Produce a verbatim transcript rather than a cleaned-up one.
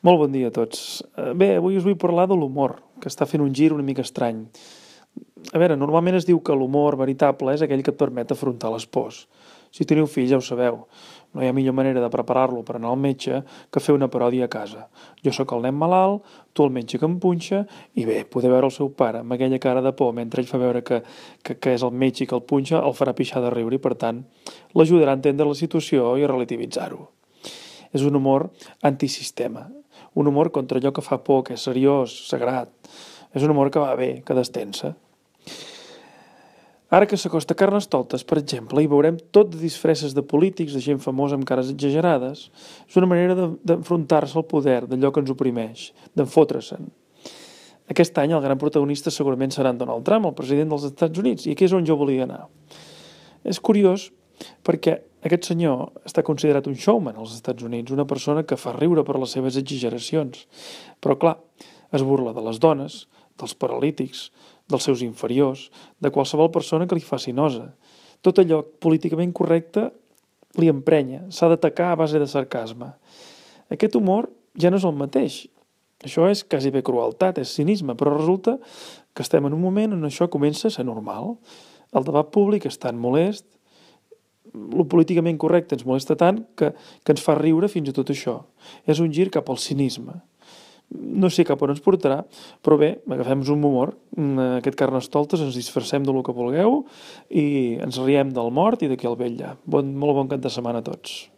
Molt bon dia a tots. Eh, Bé, avui us vull parlar de l'humor, que està fent un gir una mica estrany. A veure, normalment es diu que l'humor veritable és aquell que et permet afrontar les pors. Si teniu fills ja ho sabeu, no hi ha millor manera de preparar-lo per anar al metge que fer una paròdia a casa. Jo sóc el nen malalt, tu el metge que em punxa, i bé, poder veure el seu pare amb aquella cara de por mentre ell fa veure que, que, que és el metge i que el punxa, el farà pixar de riure i, per tant, l'ajudarà a entendre la situació i a relativitzar-ho. És un humor antisistema, un humor contra allò que fa por, que és seriós, sagrat. És un humor que va bé, que destensa. Ara que s'acosta Carnestoltes, per exemple, hi veurem tot de disfresses de polítics, de gent famosa amb cares exagerades. És una manera d'enfrontar-se al poder, d'allò que ens oprimeix, d'enfotre-se'n. Aquest any el gran protagonista segurament serà en Donald Trump, el president dels Estats Units, i aquí és on jo volia anar. És curiós perquè aquest senyor està considerat un showman als Estats Units, una persona que fa riure per les seves exageracions. Però, clar, es burla de les dones, dels paralítics, dels seus inferiors, de qualsevol persona que li faci nosa. Tot allò políticament correcte li emprenya, s'ha d'atacar a base de sarcasme. Aquest humor ja no és el mateix. Això és quasi bé crueltat, és cinisme, però resulta que estem en un moment on això comença a ser normal. El debat públic és tan molest, el políticament correcte ens molesta tant que, que ens fa riure fins i tot això. És un gir cap al cinisme. No sé cap on ens portarà, però bé, agafem-nos un humor, aquest Carnestoltes, ens disfressem del que vulgueu i ens riem del mort i d'aquí al vetlla. Bon, molt bon cap de setmana a tots.